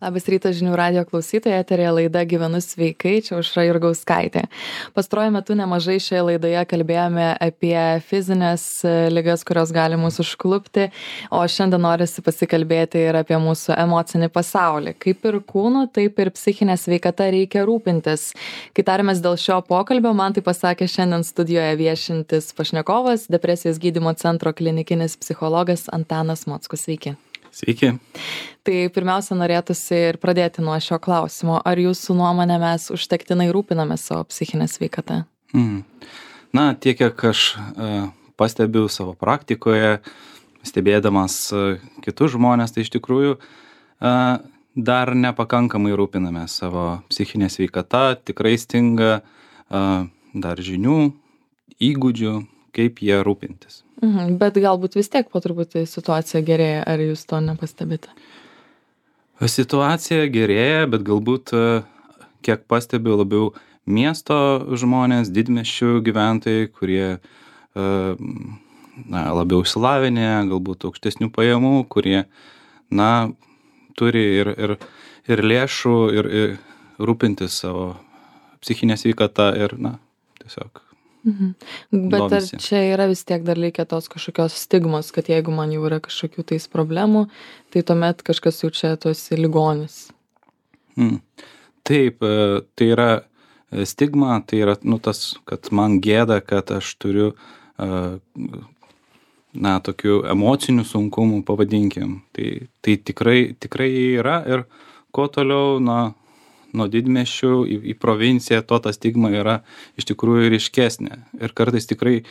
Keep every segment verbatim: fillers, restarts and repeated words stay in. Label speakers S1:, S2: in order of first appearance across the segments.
S1: Labas rytas žinių radijo klausytojai, eterėje laida Gyvenu sveikai, čia Aušra Jurgauskaitė. Pastaruoju metu nemažai šioje laidoje kalbėjome apie fizinės ligas, kurios gali mūsų užklupti, o šiandien norisi pasikalbėti ir apie mūsų emocinį pasaulį. Kaip ir kūnų, taip ir psichinė sveikata reikia rūpintis. Kai tarėmės dėl šio pokalbio, man tai pasakė šiandien studijoje viešintis pašnekovas, depresijos gydymo centro klinikinis psichologas Antanas Mockus. Sveiki.
S2: Sveiki.
S1: Tai pirmiausia, norėtųsi ir pradėti nuo šio klausimo. Ar jūsų nuomonė mes užtektinai rūpiname savo psichinę sveikatą?
S2: Mm. Na, tiek, kiek aš e, pastebiu savo praktikoje, stebėdamas e, kitus žmonės, tai iš tikrųjų e, dar nepakankamai rūpiname savo psichinę sveikatą, tikrai stinga e, dar žinių, įgūdžių, kaip jie rūpintis.
S1: Mhm, bet galbūt vis tiek po truputį situacija gerėja, ar jūs to nepastebite?
S2: Situacija gerėja, bet galbūt, kiek pastebiu, labiau miesto žmonės, didmiesčių gyventojai, kurie na, labiau išsilavinę, galbūt aukštesnių pajamų, kurie na, turi ir, ir, ir lėšų, ir, ir rūpintis savo psichinę sveikatą ir na, tiesiog.
S1: Mhm. Bet domisi. Ar čia yra vis tiek dar reikia tos kažkokios stigmos, kad jeigu man jau yra kažkokių tais problemų, tai tuomet kažkas jau čia tu esi ligonis?
S2: Hmm. Taip, tai yra stigma, tai yra nu, tas, kad man gėda, kad aš turiu na, tokių emocinių sunkumų, pavadinkim. Tai, tai tikrai, tikrai yra ir kuo toliau, na, nuo didmiesčių į, į provinciją, to ta stigma yra iš tikrųjų ryškesnė. Ir kartais tikrai,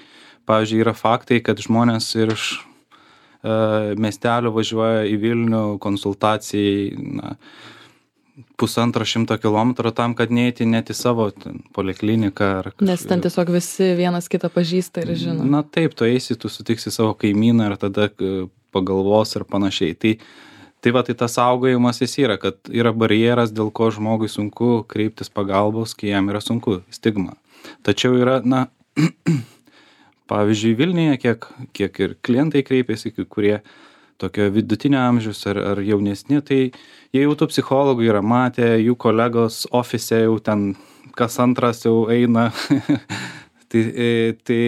S2: pavyzdžiui, yra faktai, kad žmonės ir iš e, miestelio važiuoja į Vilnių konsultacijai na, pusantro šimto kilometrų tam, kad neiti net į savo ten, polikliniką. Ar kažką.
S1: Nes ten tiesiog visi vienas kitą pažįsta ir žino.
S2: Na taip, tu eisi, tu sutiksi savo kaimyną ir tada pagalvos ir panašiai. Tai Tai va, tai tas saugojimas jis yra, kad yra barjeras, dėl ko žmogui sunku kreiptis pagalbos, kai jam yra sunku, stigma. Tačiau yra, na, pavyzdžiui, Vilniuje, kiek, kiek ir klientai kreipiasi, kurie tokio vidutinio amžiaus ar, ar jaunesni, tai jie jau tų psichologų yra matę, jų kolegos ofise jau ten kas antras jau eina, tai... tai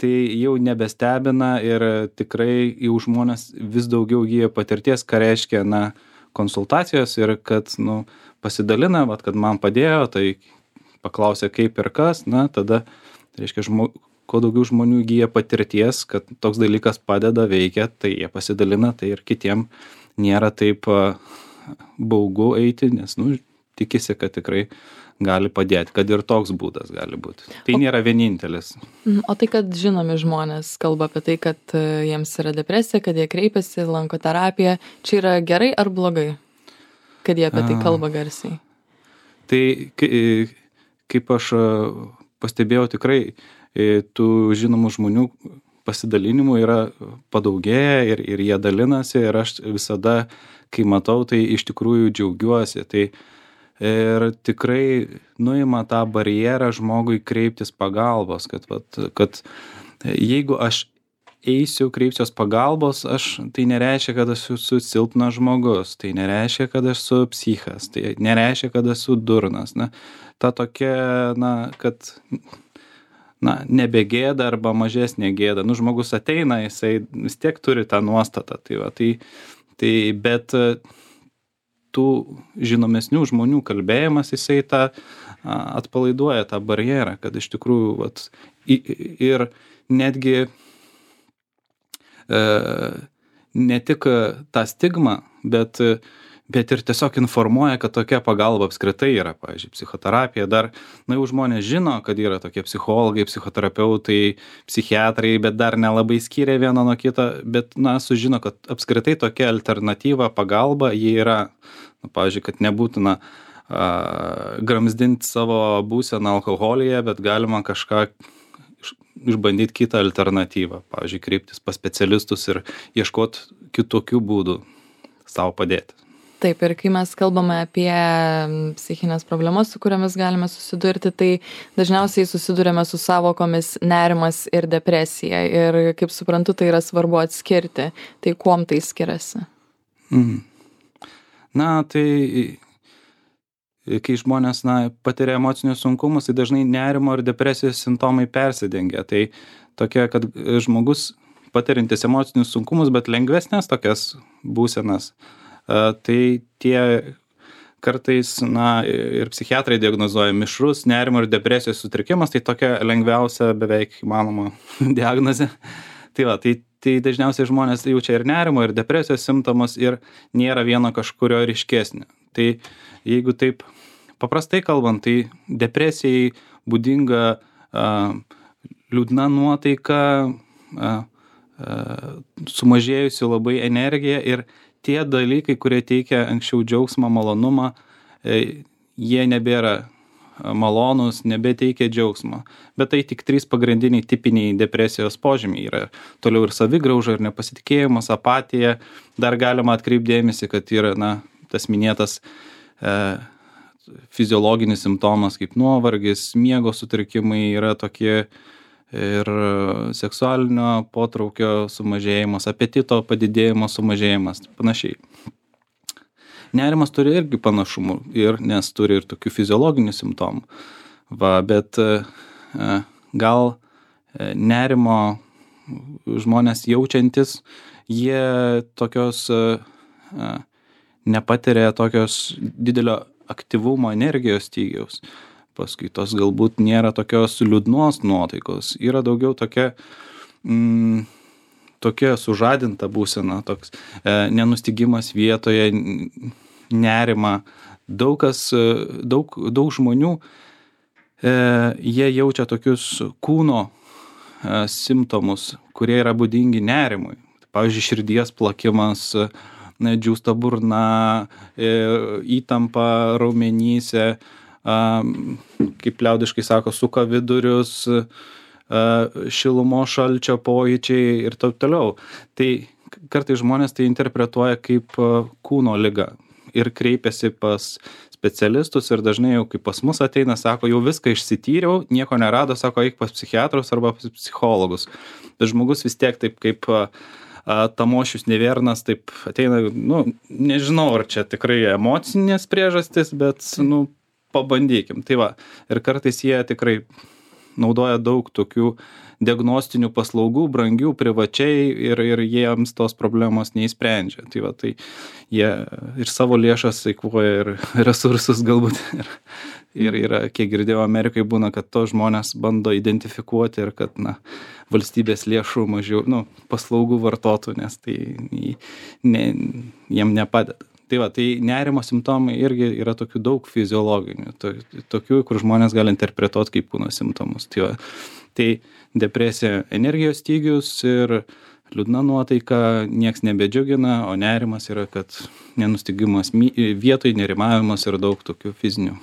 S2: tai jau nebestebina ir tikrai jau žmonės vis daugiau įgyja patirties, ką reiškia na, konsultacijos ir kad nu, pasidalina, vat, kad man padėjo, tai paklausė kaip ir kas, na, tada, tai reiškia, žmo, kuo daugiau žmonių įgyja patirties, kad toks dalykas padeda, veikia, tai jie pasidalina, tai ir kitiem nėra taip baugu eiti, nes nu, tikisi, kad tikrai gali padėti, kad ir toks būdas gali būti. Tai o, nėra vienintelis.
S1: O tai, kad žinomi žmonės kalba apie tai, kad jiems yra depresija, kad jie kreipiasi, lanko terapiją, čia yra gerai ar blogai, kad jie apie tai kalba garsiai?
S2: Tai kaip aš pastebėjau, tikrai tų žinomų žmonių pasidalinimų yra padaugėję ir, ir jie dalinasi ir aš visada, kai matau, tai iš tikrųjų džiaugiuosi. Tai ir tikrai nuima tą barjerą žmogui kreiptis pagalbos, kad, vat, kad jeigu aš eisiu, kreipsiuos pagalbos, aš, tai nereiškia, kad aš esu silpnas žmogus, tai nereiškia, kad aš esu psichas, tai nereiškia, kad esu durnas. Na, ta tokia, na, kad na, nebegėda arba mažesnė gėda. Nu, žmogus ateina, jisai vis tiek turi tą nuostatą. Tai, va, tai, tai bet tų žinomesnių žmonių kalbėjimas, jisai tą atpalaiduoja tą barjerą, kad iš tikrųjų vat, ir netgi e, ne tik tą stigmą, bet, bet ir tiesiog informuoja, kad tokia pagalba apskritai yra, pavyzdžiui, psichoterapija. Dar, na, jau žmonės žino, kad yra tokie psichologai, psichoterapeutai, psichiatrai, bet dar nelabai skiria vieną nuo kitą, bet, na, sužino, kad apskritai tokia alternatyva pagalba, jie yra, na, pavyzdžiui, kad nebūtina a, gramzdinti savo būseną alkoholyje, bet galima kažką išbandyti kitą alternatyvą, pavyzdžiui, kreiptis pas specialistus ir ieškoti kitokių būdų savo padėti.
S1: Taip, ir kai mes kalbame apie psichinės problemas, su kuriamis galime susidurti, tai dažniausiai susidurėme su savokomis nerimas ir depresija. Ir kaip suprantu, tai yra svarbu atskirti. Tai kuom tai skiriasi?
S2: Mm. Na, tai kai žmonės, na, patiria emocinius sunkumus, tai dažnai nerimo ir depresijos simptomai persidengia. Tai tokia, kad žmogus patiriantis emocinius sunkumus, bet lengvesnės tokias būsenas, tai tie kartais, na, ir psichiatrai diagnozuoja mišrus nerimo ir depresijos sutrikimas, tai tokia lengviausia beveik įmanoma diagnozė. Tai va, tai, tai dažniausiai žmonės jaučia ir nerimo, ir depresijos simptomus, ir nėra vieno kažkurio ryškesnio. Tai jeigu taip paprastai kalbant, tai depresijai būdinga a, liūdna nuotaika, a, a, sumažėjusi labai energija ir tie dalykai, kurie teikia anksčiau džiaugsmą, malonumą, e, jie nebėra malonus, nebeteikia džiaugsmo. Bet tai tik trys pagrindiniai tipiniai depresijos požymiai yra. Toliau ir savigrauža, ir nepasitikėjimas, apatija. Dar galima atkreipdėmėsi, kad yra, na, tas minėtas e, fiziologinis simptomas kaip nuovargis, miego sutrikimai yra tokie ir seksualinio potraukio sumažėjimas, apetito padidėjimo sumažėjimas, panašiai. Nerimas turi irgi panašumų, ir, nes turi ir tokių fiziologinių simptomų. Va, bet gal nerimo žmonės jaučiantis, jie tokios nepatiria tokios didelio aktyvumo, energijos stygiaus. Paskui tos galbūt nėra tokios liūdnos nuotaikos, yra daugiau tokia, mm, tokia sužadinta būsena, toks e, nenustygimas vietoje, nerima. Daug, kas, daug, daug žmonių, e, jie jaučia tokius kūno e, simptomus, kurie yra būdingi nerimui. Pavyzdžiui, širdies plakimas, ne, džiūsta burna, e, įtampa raumenyse, kaip liaudiškai sako, suka vidurius, šilumo šalčio pojūčiai ir taip toliau. Tai kartais žmonės tai interpretuoja kaip kūno ligą ir kreipiasi pas specialistus, ir dažnai jau kaip pas mus ateina, sako, jau viską išsityriau, nieko nerado, sako, eik pas psichiatrus arba pas psichologus. Bet žmogus vis tiek taip kaip tamošius neviernas, taip ateina, nu, nežinau, ar čia tikrai emocinės priežastis, bet, nu, pabandykim. Tai va, ir kartais jie tikrai naudoja daug tokių diagnostinių paslaugų, brangių, privačiai, ir, ir jiems tos problemos neįsprendžia. Tai va, tai jie ir savo lėšas eikvoja, ir resursus galbūt. Ir, ir yra, kiek girdėjau, Amerikai būna, kad to žmonės bando identifikuoti ir kad, na, valstybės lėšų mažiau, nu, paslaugų vartotų, nes tai ne, jiem nepadeda. Tai va, tai nerimo simptomai irgi yra tokių daug fiziologinių, to, tokių, kur žmonės gali interpretuoti kaip kūno simptomus. Tai, va, tai depresija, energijos stygius ir liūdna nuotaika, nieks nebedžiugina, o nerimas yra, kad nenustygimas vietoj, nerimavimas ir daug tokių fizinių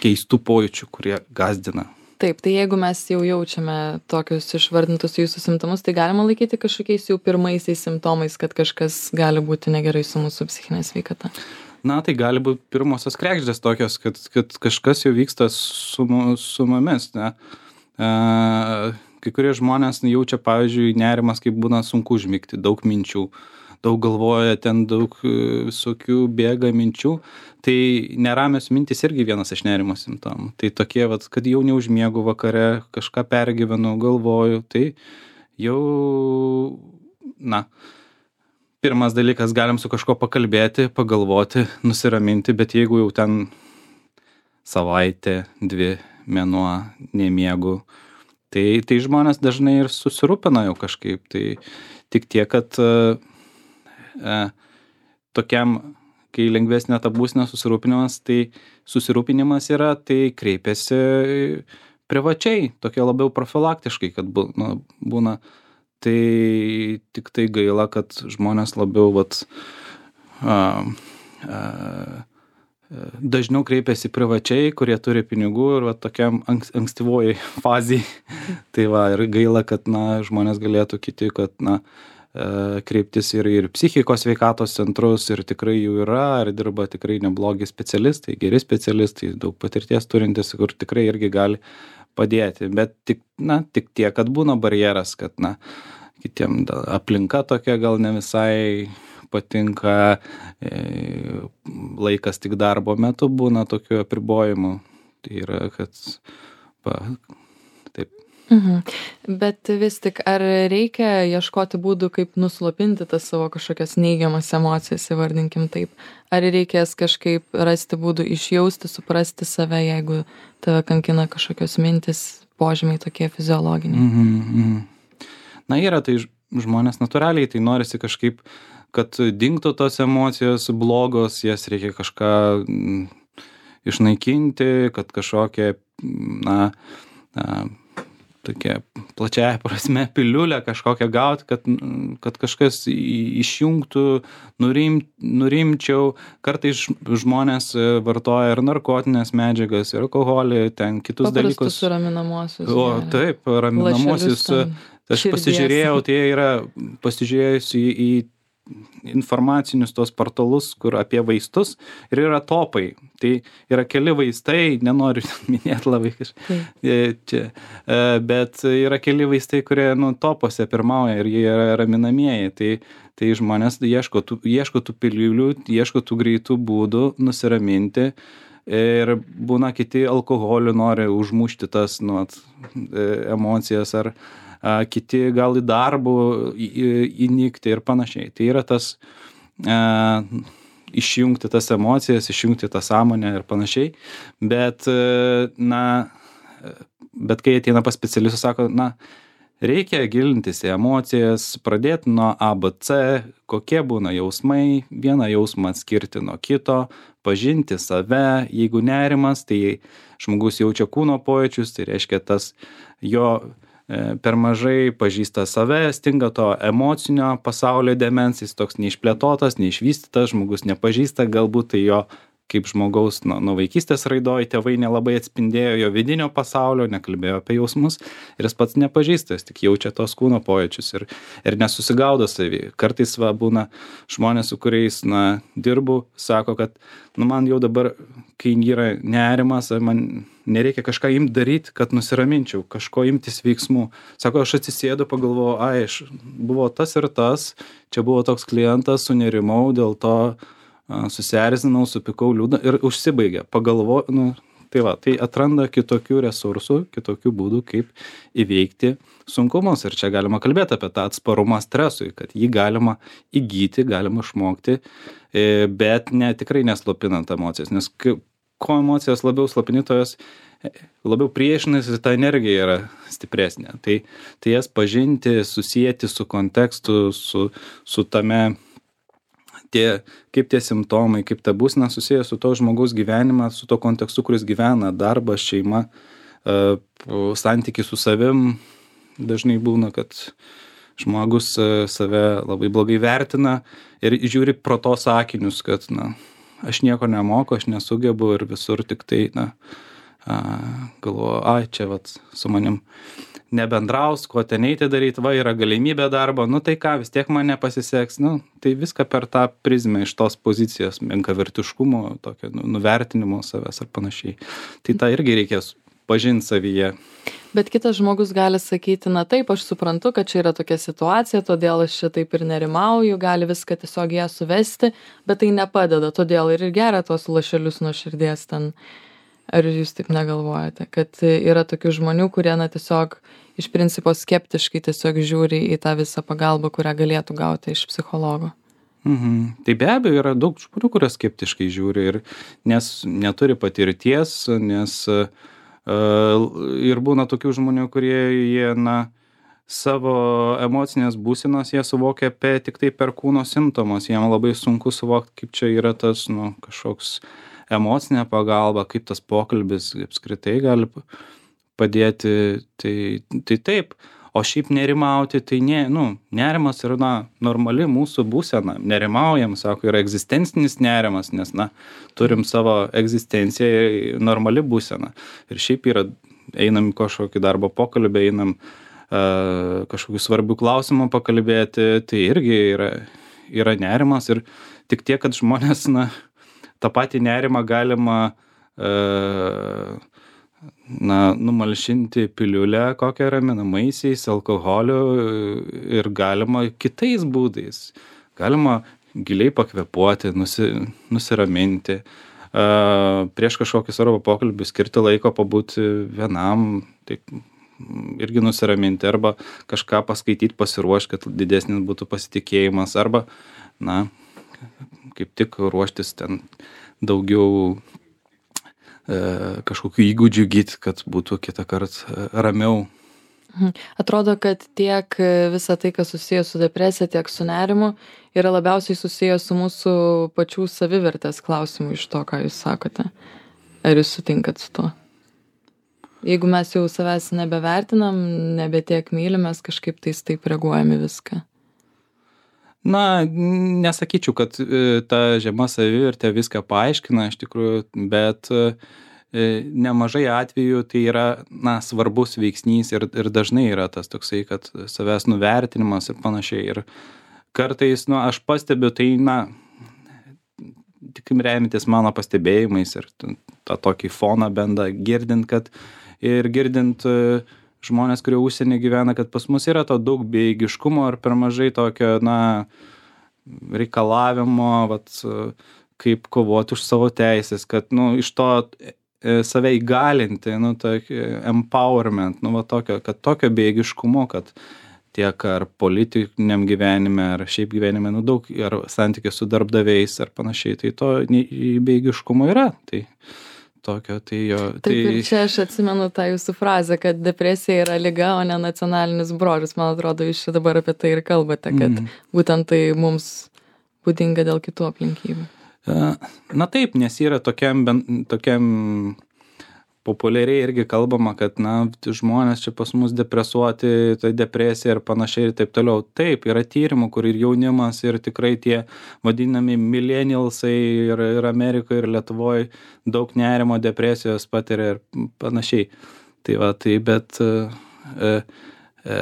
S2: keistų pojūčių, kurie gazdina.
S1: Taip, tai jeigu mes jau jaučiame tokius išvardintus jūsų simptomus, tai galima laikyti kažkokiais jau pirmaisiais simptomais, kad kažkas gali būti negerai su mūsų psichinė sveikata?
S2: Na, tai gali būti pirmosios kregždės tokios, kad, kad kažkas jau vyksta su, su mumis. Ne? E, kai kurie žmonės jaučia, pavyzdžiui, nerimas, kaip būna sunku užmigti, daug minčių, daug galvoja, ten daug visokių bėga minčių. Tai neramios mintys irgi vienas iš nerimo simptomų. Tai tokie, vat, kad jau neužmiegu vakare, kažką pergyvenu, galvoju, tai jau, na, pirmas dalykas, galim su kažko pakalbėti, pagalvoti, nusiraminti, bet jeigu jau ten savaitė, dvi, mėnuo nemiegu, tai, tai žmonės dažnai ir susirūpina jau kažkaip. Tai tik tiek, kad e, tokiam, kai lengvesnė ta būsena susirūpinimas, tai susirūpinimas yra, tai kreipiasi privačiai, tokie labiau profilaktiškai, kad būna, būna. Tai tik tai gaila, kad žmonės labiau vat, a, a, dažniau kreipiasi privačiai, kurie turi pinigų ir vat, tokiam ankstyvojai fazai. Tai va, ir gaila, kad, na, žmonės galėtų kiti, kad, na, kreiptis ir, ir psichikos sveikatos centrus, ir tikrai jų yra, ir dirba tikrai neblogi specialistai, geri specialistai, daug patirties turintis, kur tikrai irgi gali padėti. Bet tik, na, tik tiek, kad būna barjeras, kad, na, kitiem da, aplinka tokia gal ne visai patinka, laikas tik darbo metu būna tokių apribojimų. Tai yra, kad va, taip.
S1: Mhm. Bet vis tik, ar reikia ieškoti būdų, kaip nuslopinti tas savo kažkokias neigiamas emocijas, įvardinkim taip? Ar reikės kažkaip rasti būdų išjausti, suprasti save, jeigu tave kankina kažkokios mintis, požymiai tokie fiziologiniai?
S2: Mhm, mhm. Na, yra tai žmonės natūraliai, tai norisi kažkaip, kad dingtų tos emocijos blogos, jas reikia kažką išnaikinti, kad kažkokia, na, na tokia plačiaja prasme piliulę kažkokią gauti, kad, kad kažkas išjungtų, nurim, nurimčiau. Kartais žmonės vartoja ir narkotinės medžiagas, ir alkoholį, ten kitus
S1: Paprastus
S2: dalykus.
S1: Paprastus raminamosius.
S2: O, taip, raminamosius. Aš širdies. Pasižiūrėjau, tai yra pasižiūrėjus į, į informacinius tos portalus, kur apie vaistus, ir yra topai. Tai yra keli vaistai, nenoriu minėti labai kažkaip, bet yra keli vaistai, kurie nu, topose pirmauja ir jie yra raminamieji. Tai, tai žmonės ieško tų, ieško tų piliulių, ieško tų greitų būdų nusiraminti. Ir būna kiti alkoholiu nori užmušti tas nu, emocijas ar a, kiti gal į darbų į, į, įnikti ir panašiai. Tai yra tas a, išjungti tas emocijas, išjungti tą sąmonę ir panašiai. Bet, na, bet kai ateina pas specialistus, sako, na, reikia gilintis į emocijas, pradėti nuo A B C, kokie būna jausmai, vieną jausmą atskirti nuo kito, pažinti save, jeigu nerimas, tai žmogus jaučia kūno pojūčius, tai reiškia tas jo per mažai pažįsta save, stinga to emocinio pasaulio demens, jis toks neišplėtotas, neišvystytas, žmogus nepažįsta, galbūt tai jo kaip žmogaus nuo, nuo vaikystės raidoj tėvai nelabai atspindėjo jo vidinio pasaulio, nekalbėjo apie jausmus ir jis pats nepažįsta, jis tik jaučia tos kūno pojūčius ir, ir nesusigaudo savį. Kartais va, būna žmonės, su kuriais na, dirbu, sako, kad nu, man jau dabar, kai yra nerimas, man nereikia kažką imt daryti, kad nusiraminčiau, kažko imtis veiksmų. Sako, aš atsisėdu, pagalvoju, ai, aš buvo tas ir tas, čia buvo toks klientas, sunerimau, dėl to susierzinau, supikau liūdą ir užsibaigė. Pagalvo, nu, tai va, tai atranda kitokių resursų, kitokių būdų, kaip įveikti sunkumus. Ir čia galima kalbėti apie tą atsparumą stresui, kad jį galima įgyti, galima išmokti, bet ne, tikrai neslopinant emocijas. Nes ko emocijos labiau slopinitojas, labiau priešinasi, ta energija yra stipresnė. Tai, tai jas pažinti, susijęti su kontekstu, su, su tame tie, kaip tie simptomai, kaip ta būsena susiję su to žmogaus gyvenimą, su to kontekstu, kuris gyvena, darbas, šeima, santykiai su savim. Dažnai būna, kad žmogus save labai blogai vertina ir žiūri pro tos sakinius, kad na, aš nieko nemoku, aš nesugebu ir visur tik tai, na, galvoju, ai, čia vat, su manim nebendraus, ko ten eiti daryti, va, yra galimybė darbo, nu tai ką, vis tiek man nepasiseks, nu, tai viską per tą prizmę iš tos pozicijos, menkavertiškumo, tokio nu, nuvertinimo savęs ar panašiai. Tai tą irgi reikės pažinti savyje.
S1: Bet kitas žmogus gali sakyti, na taip, aš suprantu, kad čia yra tokia situacija, todėl aš čia taip ir nerimauju, gali viską tiesiog ją suvesti, bet tai nepadeda, todėl ir geria tos lašelius nuo širdies ten. Ar jūs taip negalvojate, kad yra tokių žmonių, kurie na, tiesiog iš principo skeptiškai tiesiog žiūri į tą visą pagalbą, kurią galėtų gauti iš psichologo?
S2: Mhm. Tai be abejo yra daug žmonių, kurie skeptiškai žiūri, ir, nes neturi patirties, nes uh, ir būna tokių žmonių, kurie jie, na, savo emocinės būsenos jie suvokia apie tik tai per kūno simptomus, jiem labai sunku suvokti, kaip čia yra tas nu, kažkoks emocinė pagalba, kaip tas pokalbis apskritai gali padėti, tai, tai taip. O šiaip nerimauti, tai ne, nu, nerimas yra na, normali mūsų būsena. Nerimaujam, sako, yra egzistencinis nerimas, nes na, turim savo egzistenciją, normali būsena. Ir šiaip yra, einam kažkokį darbo pokalbį, einam uh, kažkokių svarbių klausimų pakalbėti, tai irgi yra, yra nerimas ir tik tiek, kad žmonės, na, tą patį nerimą galima e, na, numalšinti piliulę kokią raminamaisiais, alkoholiu ir galima kitais būdais. Galima giliai pakvėpuoti, nusi, nusiraminti, prieš kažkokį svarbą pokalbį skirti laiko pabūti vienam, taip irgi nusiraminti, arba kažką paskaityti, pasiruošti, kad didesnis būtų pasitikėjimas, arba, na, kaip tik ruoštis ten daugiau e, kažkokių įgūdžių gyti, kad būtų kitą kartą ramiau.
S1: Atrodo, kad tiek visa tai, kas susijęs su depresija, tiek su nerimu, yra labiausiai susijęs su mūsų pačių savivertės klausimu iš to, ką jūs sakote. Ar jūs sutinkat su tuo? Jeigu mes jau savęs nebevertinam, nebe tiek mylimės, kažkaip tais taip reaguojame viską.
S2: Na, nesakyčiau, kad ta žema savivertė viską paaiškina iš tikrųjų, bet nemažai atvejų tai yra, na, svarbus veiksnys ir, ir dažnai yra tas toksai, kad savęs nuvertinimas ir panašiai. Ir kartais, nu, aš pastebiu, tai, na, tik remintis mano pastebėjimais ir tą tokį foną bendą girdint, kad ir girdint žmonės, kurie užsienį gyvena, kad pas mus yra to daug bejėgiškumo ir per mažai tokio, na, reikalavimo, vat, kaip kovoti už savo teisės, kad, nu, iš to save įgalinti, nu, tokį empowerment, nu, va, tokio, kad tokio bejėgiškumo, kad tiek ar politiniam gyvenime, ar šiaip gyvenime, nu, daug, ar santykių su darbdaviais, ar panašiai, tai to bejėgiškumo yra, tai tokio, tai jo.
S1: Taip, tai... ir čia aš atsimenu tą jūsų frazę, kad depresija yra liga, o ne nacionalinis brožis, man atrodo, jūs čia dabar apie tai ir kalbate, kad mm. būtent tai mums būdinga dėl kitų aplinkybių.
S2: Na taip, nes yra tokiam, tokiam populiariai irgi kalbama, kad, na, žmonės čia pas mus depresuoti, tai depresija ir panašiai ir taip toliau. Taip, yra tyrimų, kur ir jaunimas, ir tikrai tie vadinami millennialsai ir, ir Amerikoje, ir Lietuvoje daug nerimo, depresijos patiria ir panašiai. Tai va, tai bet, e, e,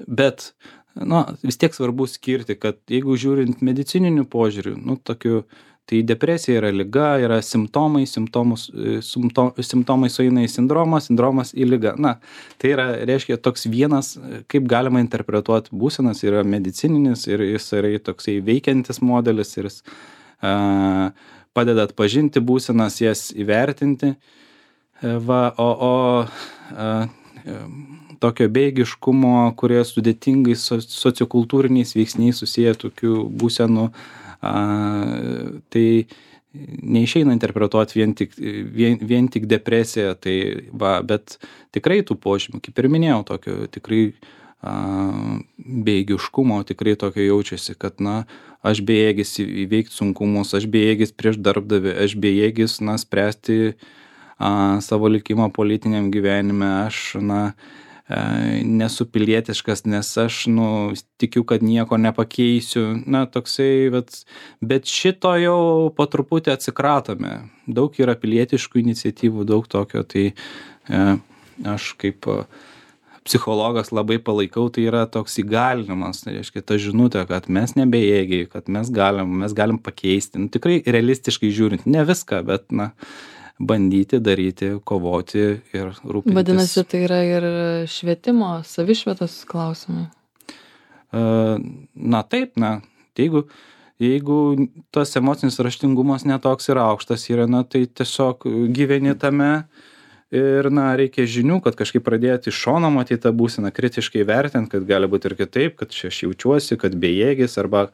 S2: bet, nu, vis tiek svarbu skirti, kad jeigu žiūrint medicininiu požiūriu, nu, tokiu, tai depresija yra liga, yra simptomai, simptomus, simptom, simptomai sueina į sindromą, sindromas į ligą. Na, tai yra, reiškia, toks vienas, kaip galima interpretuoti būsenas, yra medicininis ir jis yra toksai veikiantis modelis ir jis a, padeda atpažinti būsenas, jas įvertinti. Va, o, o a, tokio bejėgiškumo, kurie sudėtingai sociokultūriniais veiksniais susiję tokių būsenų, a, tai neišeina interpretuoti vien tik, vien, vien tik depresiją, tai va, bet tikrai tų požymių, kaip ir minėjau, tokio tikrai a, bejėgiškumo, tikrai tokio jaučiasi, kad, na, aš bejėgis įveikti sunkumus, aš bejėgis prieš darbdavį, aš bejėgis, na, spręsti a, savo likimą politiniam gyvenime, aš, na, nesu pilietiškas, nes aš, nu, tikiu, kad nieko nepakeisiu, na, toksai, bet, bet šito jau po truputį atsikratome. Daug yra pilietiškų iniciatyvų, daug tokio, tai e, aš kaip psichologas labai palaikau, tai yra toks įgalinimas, tai reiškia ta žinutė, kad mes nebejėgiai, kad mes galim, mes galim pakeisti, nu, tikrai realistiškai žiūrint, ne viską, bet, na, bandyti, daryti, kovoti ir rūpintis.
S1: Vadinasi, tai yra ir švietimo, savišvietos klausimai.
S2: Na taip, na, jeigu, jeigu tas emocinis raštingumas netoks yra aukštas yra, na, tai tiesiog gyveni tame ir, na, reikia žinių, kad kažkaip pradėti iš šono matyti tą būseną, kritiškai vertinti, kad gali būti ir kitaip, kad čia aš jaučiuosi, kad bejėgis, arba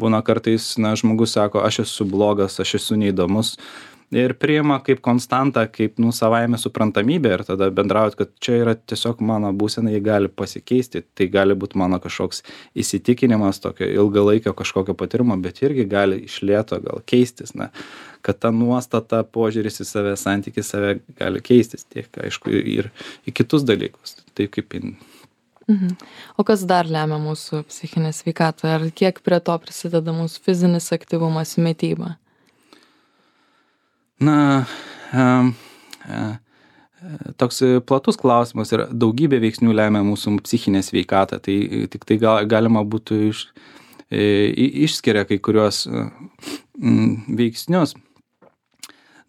S2: būna kartais, na, žmogus sako, aš esu blogas, aš esu neįdomus. Ir priima kaip konstantą, kaip, nu, savaime suprantamybė ir tada bendraut, kad čia yra tiesiog mano būsena, jie gali pasikeisti, tai gali būti mano kažkoks įsitikinimas, tokio ilgalaikio kažkokio patirimo, bet irgi gali iš lėto gal keistis, na, kad ta nuostata, požiūris į save, santykis save gali keistis tiek, aišku, ir į kitus dalykus, taip kaip in.
S1: Mhm. O kas dar lemia mūsų psichinę sveikatą, ar kiek prie to prisideda mūsų fizinis aktyvumas, mityba?
S2: Na, um, uh, toks platus klausimas ir daugybė veiksnių lemia mūsų psichinę sveikatą, tai tik tai gal, galima būtų iš, išskiria kai kurios veiksnius.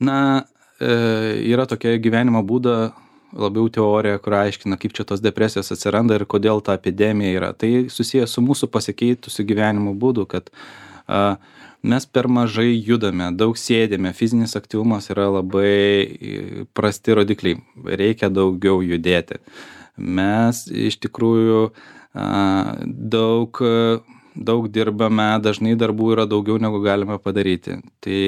S2: Na, yra tokia gyvenimo būdo labiau teorija, kur aiškina, kaip čia tos depresijos atsiranda ir kodėl ta epidemija yra. Tai susijęs su mūsų pasikeitusiu gyvenimo būdu, kad a, mes per mažai judame, daug sėdėme, fizinis aktyvumas yra labai prasti rodikliai, reikia daugiau judėti. Mes iš tikrųjų a, daug, daug dirbame, dažnai darbų yra daugiau negu galime padaryti. Tai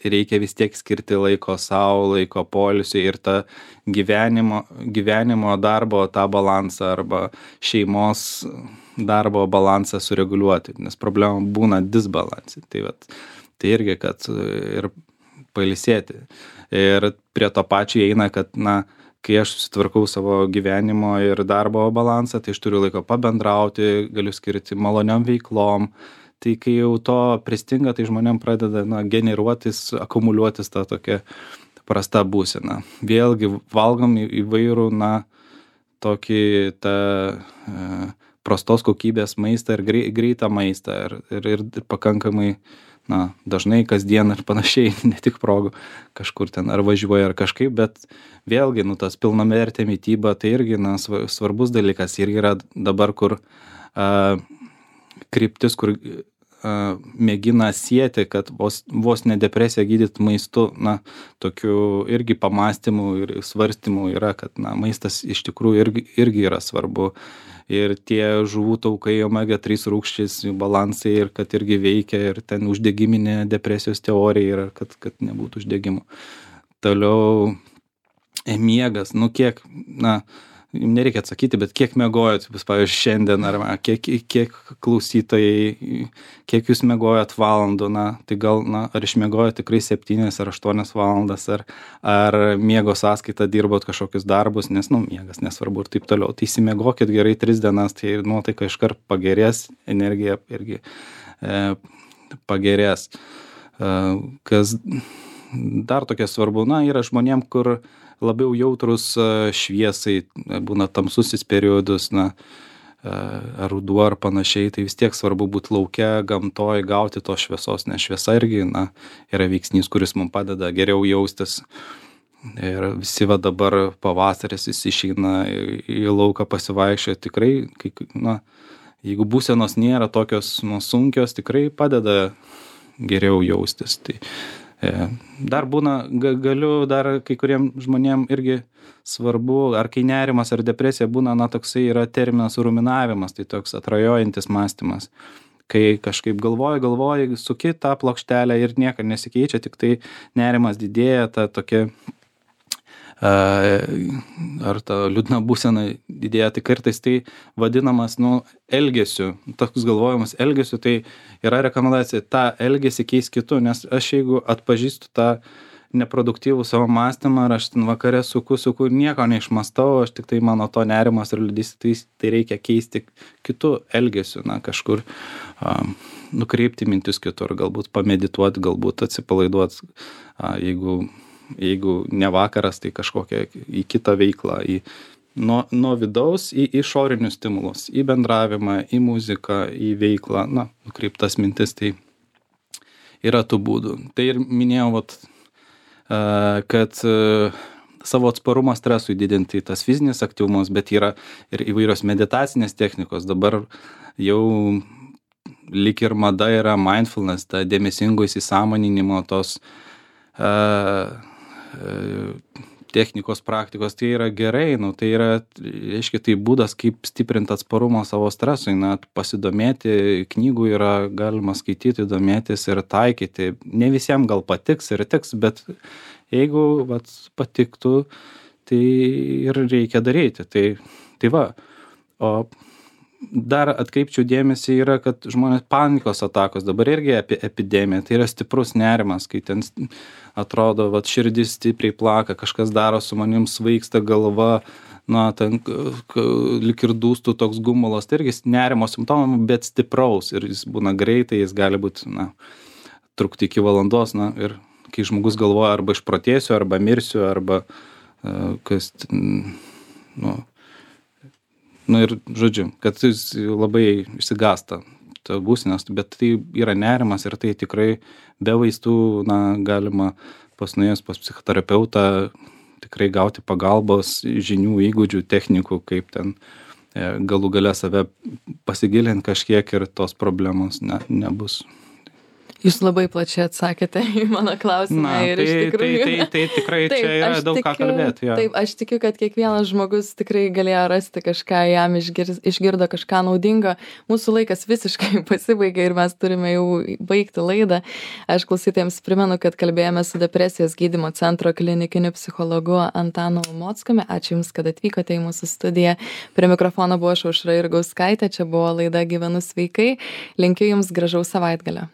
S2: reikia vis tiek skirti laiko savo, laiko poilsiui ir tą gyvenimo, gyvenimo darbo tą balansą arba šeimos darbo balansą sureguliuoti, nes problema būna disbalansai. Tai, vat, tai irgi, kad ir pailsėti. Ir prie to pačio eina, kad, na, kai aš susitvarkau savo gyvenimo ir darbo balansą, tai aš turiu laiko pabendrauti, galiu skirti maloniom veiklom. Tai kai jau to pristinga, tai žmonėm pradeda, na, generuotis, akumuliuotis tą tokią prastą būseną. Vėlgi valgom įvairų, na, tokį tą e, prastos kokybės maistą ir greitą maistą ir, ir, ir pakankamai, na, dažnai kasdien ir panašiai, ne tik progų kažkur ten ar važiuoja ar kažkaip, bet vėlgi, nu, tas pilnavertė mityba, tai irgi, na, svarbus dalykas ir yra dabar, kur a, kryptis, kur a, mėgina sieti, kad vos, vos ne depresiją gydyti maistu, na, tokių irgi pamastymų ir svarstymų yra, kad, na, maistas iš tikrųjų irgi, irgi yra svarbu. Ir tie žuvų taukai, omega trys rūgščiais balansai ir kad irgi veikia ir ten uždegiminė depresijos teorija yra, kad, kad nebūtų uždegimų. Toliau miegas, nu kiek, na, nereikia atsakyti, bet kiek miegojot, pavyzdžiui, šiandien, ar kiek, kiek klausytojai, kiek jūs miegojot valandų, na, tai gal, na, ar išmiegojot tikrai septynias ar aštuonias valandas, ar, ar miego sąskaita dirbot kažkokius darbus, nes, nu, miegas nesvarbu ir taip toliau. Tai įsimiegokit gerai tris dienas, tai nuotaika iškart pagerės, energija irgi e, pagerės. E, kas dar tokia svarbu, na, yra žmonėm, kur labiau jautrus šviesai, būna tamsusis periodus, na, ar ruduo ar panašiai, tai vis tiek svarbu būti lauke, gamtoj, gauti tos šviesos, nes šviesa irgi, na, yra veiksnys, kuris mums padeda geriau jaustis. Ir visi va dabar pavasaris visi išeina į lauką pasivaikščioti, tikrai, kai, na, jeigu būsenos nėra tokios, nu, sunkios, tikrai padeda geriau jaustis. Tai dar būna, galiu dar kai kuriem žmonėm irgi svarbu, ar kai nerimas ar depresija būna, na, toksai yra terminas ruminavimas, tai toks atrajojantis mąstymas. Kai kažkaip galvoji, galvoji, suki tą plokštelę ir nieko nesikeičia, tik tai nerimas didėja, ta tokia, ar ta liūdna būsena didėja, tai kartais tai vadinamas, nu, elgesiu, toks galvojimas elgesiu, tai yra rekomendacija tą elgesį keis kitu, nes aš jeigu atpažįstu tą neproduktyvų savo mąstymą ir aš ten vakare suku, suku ir nieko neišmastau, aš tik tai mano to nerimas ir liūdys, tai, tai reikia keisti kitu elgesiu, na, kažkur um, nukreipti mintis kitur, galbūt pamedituoti, galbūt atsipalaiduoti, uh, jeigu jeigu ne vakaras, tai kažkokią į kitą veiklą, į, nuo, nuo vidaus į išorinius stimulus, į bendravimą, į muziką, į veiklą, na, nukreiptas mintis, tai yra tų būdų. Tai ir minėjau, vat, kad savo atsparumą stresui didinti tas fizinis aktyvumas, bet yra ir įvairios meditacinės technikos. Dabar jau lyg ir mada yra mindfulness, ta dėmesingo įsisąmoninimo tos uh, technikos, praktikos, tai yra gerai, nu, tai yra, reiškia, tai būdas, kaip stiprinti atsparumą savo stresui, na, pasidomėti, knygų yra galima skaityti, domėtis ir taikyti. Ne visiems gal patiks ir tiks, bet jeigu vat, patiktų, tai ir reikia daryti. Tai, tai va, o dar atkreipčiau dėmesį yra, kad žmonės panikos atakos, dabar irgi apie epidemiją, tai yra stiprus nerimas, kai ten atrodo, vat, širdis stipriai plaka, kažkas daro su manim, svaigsta galva, na, ten lik ir dūstų toks gumulas, tai irgi nerimo simptomų, bet stipraus ir jis būna greitai, jis gali būti, na, trukti iki valandos, na, ir kai žmogus galvoja arba išprotėsiu, arba mirsiu, arba uh, kas, nu, nu ir žodžiu, kad jis labai išsigąsta ta būsenos, bet tai yra nerimas ir tai tikrai be vaistų, na, galima pas nuėjus pas psichoterapeutą, tikrai gauti pagalbos, žinių, įgūdžių, technikų, kaip ten galų gale save pasigilinti kažkiek ir tos problemos ne, nebus.
S1: Jūs labai plačiai atsakėte į mano klausimą.
S2: Na,
S1: ir
S2: tai,
S1: iš tikrųjų...
S2: tai, tai, tai tikrai taip, čia yra daug tikiu, ką kalbėti. Ja.
S1: Taip, aš tikiu, kad kiekvienas žmogus tikrai galėjo rasti kažką, jam išgir, išgirdo kažką naudingo. Mūsų laikas visiškai pasibaigė ir mes turime jau baigti laidą. Aš klausytėjams primenu, kad kalbėjome su depresijos gydymo centro klinikiniu psichologu Antanu Mockumi. Ačiū Jums, kad atvykote į mūsų studiją. Prie mikrofono buvo Aušra Jurgauskaitė, čia buvo laida Gyvenu sveikai. Linkiu Jums gražaus savaitgalio.